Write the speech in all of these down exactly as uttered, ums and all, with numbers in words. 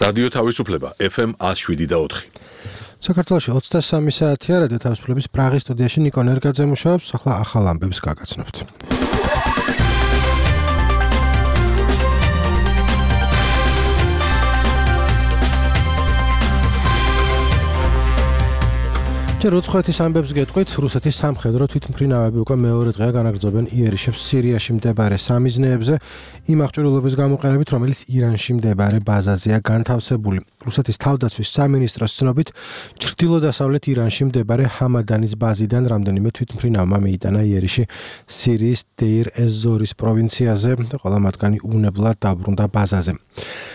რადიო თავისუფლება ეფ ემ one oh seven და four. საქართველოში ოცდასამი საათია რადიო თავისუფლების პრაღის სტუდიაში ნიკო ნერგაძე მუშაობს, ახლა ახალ ამბებს გაგაცნობთ. როცხეთის ამბებს გეტყვით, რუსეთის სამხედრო თვითმფრინავები უკვე მეორე დღეა განაგრძობენ იერიშებს სირიაში მდებარე სამიზნეებზე, იმ აღჭურვილობის გამოყენებით, რომელიც ირანში მდებარე ბაზაზეა განთავსებული. რუსეთის თავდაცვის სამინისტროს ცნობით, ჩრდილო-დასავლეთ ირანში მდებარე ჰამადანის ბაზიდან რამდენიმე თვითმფრინავმა მიიტანა იერიში სირიის დეირ-ეს-ზორის პროვინციაზე და ყველა მათგანი უნებლად დაბრუნდა ბაზაზე.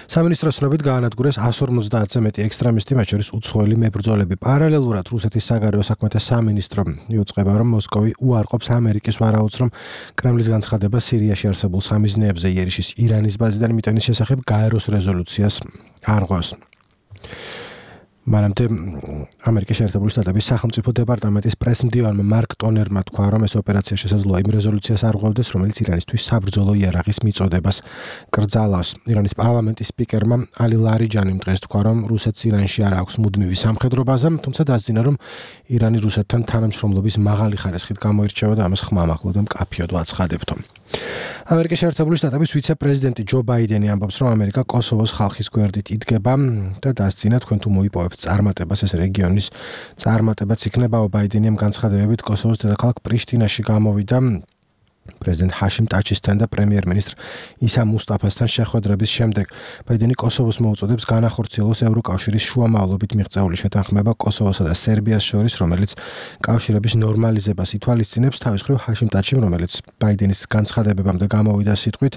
სამინისტროს ცნობით გაანადგურეს one fifty-ზე მეტი ექსტრემისტი, მათ შორის უცხოელი მებრძოლები. პარალელურად რუსეთის საგარეო საქმეთა სამინისტრო იუწყება, რომ მოსკოვი უარყოფს ამერიკის ვარაუდს, რომ კრემლის განცხადება სირიაში არსებულ სამიზნეებზე იერიშის ირანის ბაზიდან მიტანის შესახებ გაეროს რეზოლუციას არ ღვევს. მანამდე ამერიკის შეერთებული შტატების სახელმწიფო დეპარტამენტის პრესმდივანმა მარკ ტონერმა თქვა, რომ ეს ოპერაცია შესაძლოა იმ რეზოლუციას არ ღვევდეს, რომელიც ირანისთვის საბრძოლო იარაღის მიწოდებას კრძალავს. ირანის პარლამენტის სპიკერმა ალი ლარიჯანიმ დღეს თქვა, რომ რუსეთს ირანში არ აქვს მუდმივი სამხედრო ბაზა, თუმცა დასძინა, რომ ირანი რუსეთთან თანამშრომლობის მაღალი ხარისხით გამოირჩევა და ამას ხმამაღლა და მკაფიოდ ვაცხადებთო. ამერიკის შეერთებული შტატების ვიცე-პრეზიდენტი ჯო ბაიდენი ამბობს, რომ ამერიკა კოსოვოს ხალხის გვერდით იდგება და დასძინა, თქვენ თუ მოიპოვებთ წარმატებას, ეს რეგიონის წარმატებაც იქნება. ბაიდენიმ განცხადებებით კოსოვოს დედაქალაქ პრიშტინაში გამოვიდა პრეზიდენტ ჰაშიმ ტაჩისთან და პრემიერ-მინისტრ ისა მუსტაფასთან შეხვედრების შემდეგ. ბაიდენი კოსოვოს მოუწოდებს განახორციელოს ევროკავშირის შუამავლობით მიღწეული შეთანხმება კოსოვოსა და სერბიას შორის, რომელიც კავშირების ნორმალიზებას ითვალისწინებს. თავის მხრივ ჰაშიმ ტაჩიმ, რომელიც ბაიდენის განცხადებებამდე გამოვიდა სიტყვით,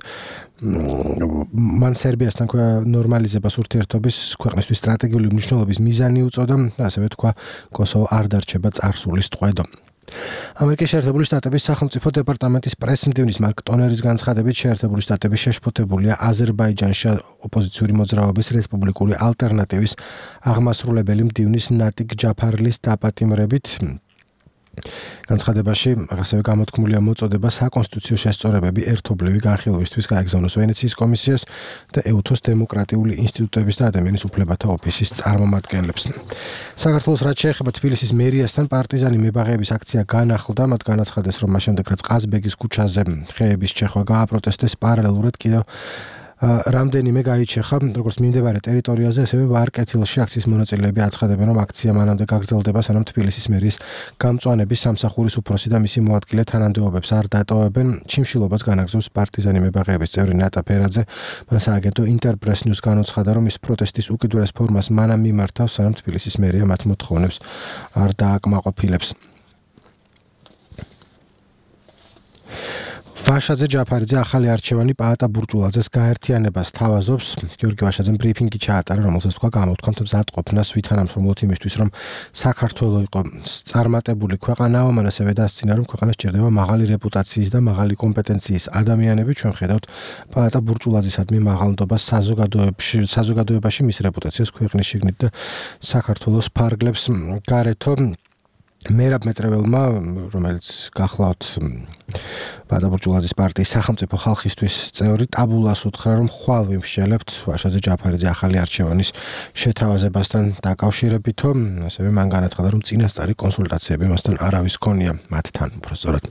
მან სერბიასთან ნორმალიზებას ურთიერთობის ქვეყნისთვის სტრატეგიული მნიშვნელობის მიზანი უწოდა და ასევე თქვა, კოსოვო არ დარჩება წარსულის ტყვედო. ამერიკის შეერთებული შტატების სახელმწიფო დეპარტამენტის პრესმდივნის მარკ ტონერის განცხადებით, შეერთებული შტატები შეშფოთებულია აზერბაიჯანში ოპოზიციური მოძრაობის რესპუბლიკური ალტერნატივის აღმასრულებელი მდივნის ნატიკ ჯაფარლის დაპატიმრებით. განცხადებაში ასევე გამოთქმულია მოწოდება საკონსტიტუციო შესწორებები ერთობლივი განხილვისთვის გაეგზავნოს ვენეციის კომისიას და ეუთოს დემოკრატიული ინსტიტუტების და ადამიანის უფლებათა ოფისის წარმომადგენლებს. საქართველოს რაც შეეხება თბილისის მერიასთან პარტიზანი მებაღეების აქცია განახლდა, მათ განაცხადეს, რომ მას შემდეგ რაც ყაზბეგის ქუჩაზე ხეების ჩეხვა გააპროტესტეს, პარალელურად კიდევ რამდენიმე გაიჩეხა, როგორც მიმდებარე ტერიტორიაზე, ასევე ვარკეთილში აქციის მონაწილეები აცხადებენ, რომ აქცია მანამდე გაგრძელდება, სანამ თბილისის მერის გამწვანების სამსახურის უფროსი და მისი მოადგილე თანამდებობებს არ დატოვებენ. ჩიმშილობას განაგრძობს პარტიზანი მებაღეების წევრი ნატა ფერაძე. მან სააგენტო ინტერპრეს ნიუს განუცხადა, რომ ის პროტესტის უკიდურეს ფორმას მანამ მიმართავს, სანამ თბილისის მერია მათ მოთხოვნებს არ დააკმაყოფილებს. ვაშაძე ჯაფარიძე ახალი არჩევანი პაატა ბურჭულაძეს გაერთიანებას თავაზობს. გიორგი ვაშაძემ ბრიფინგი ჩაატარა, რომელსაც თქვა გამოთქვამთ მზადყოფნას ვითანამშრომლოთ იმისთვის, რომ საქართველო იყო წარმატებული ქვეყანაა, მან ასევე დასძინა, რომ ქვეყანას სჭირდება მაღალი რეპუტაციის და მაღალი კომპეტენციის ადამიანები. ჩვენ ხედავთ პაატა ბურჭულაძისადმი მაღალნდობას საზოგადოებაში, საზოგადოებაში მის რეპუტაციას ქვეყნის შიგნით და საქართველოს ფარგლებს გარეთო. მერაბ მეტრეველმა, რომელიც გახლავთ პაატა ბურჭულაძის პარტიის სახელმწიფო ხალხისთვის წევრი, ტაბულას უთხრა, რომ ხვალ ვიმსჯელებთ ვაშაძე ჯაფარიძე ახალი არჩევანის შეთავაზებასთან დაკავშირებითო. ასევე მან განაცხადა, რომ წინასწარი კონსულტაციები მასთან არავის ჰქონია მათთან, უბრალოდ.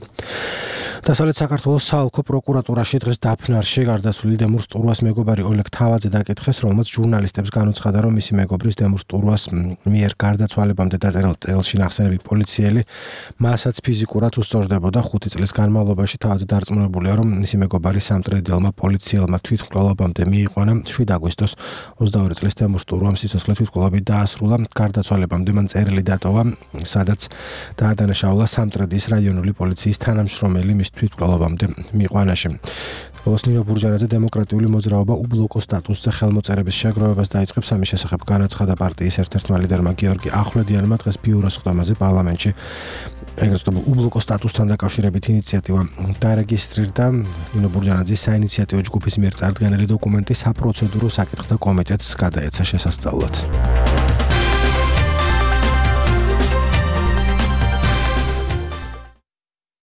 დასავლეთ საქართველოს საოლქო პროკურატურაში დღეს დაფნარში გარდაცვლილი დემურ სტურვას მეგობარი ოლეგ თავაძე დაკითხეს, რომელმაც ჟურნალისტებს განუცხადა, რომ მისი მეგობრის დემურ სტურვას მიერ გარდაცვალებამდე დაწერილ წერილში ნახსენები პოლიციელი მასაც ფიზიკურად უსწორდებოდა. ხუთი წლის განმავლობაში თავაძე დარწმუნებულია, რომ მისი მეგობარი სამტრედელმა პოლიციელმა თვითმკვლელობამდე მიიყვანა. შვიდ აგვისტოს ოცდაორი წლის დემურ სტურვამ სიცოცხლე თვითმკვლელობით დაასრულა. გარდაცვალებამდე მან წერილი დატოვა, სადაც დაადანაშაულა სამტრედის რაიონული პოლიციის თანამშრომელი მის თვითმკვლელობამდე მიიყვანაში. ბოლოს ნინო ბურჯანაძე დემოკრატიული მოძრაობა უბლოკო სტატუსზე ხელმოწერების შეგროვებას დაიწყებს. ამის შესახებ განაცხადა პარტიის ერთ-ერთმა ლიდერმა გიორგი ახვლედიანმა დღეს ბიუროს ხდომაზე პარლამენტში. ეგრეთ წოდებულ უბლოკო სტატუსთან დაკავშირებით ინიციატივა დარეგისტრირდა. ნინო ბურჯანაძის საინიციატივო ჯგუფის მიერ წარდგენილი დოკუმენტი საპროცედურო საკითხთა კომიტეტს გადაეცა შესასწავლად.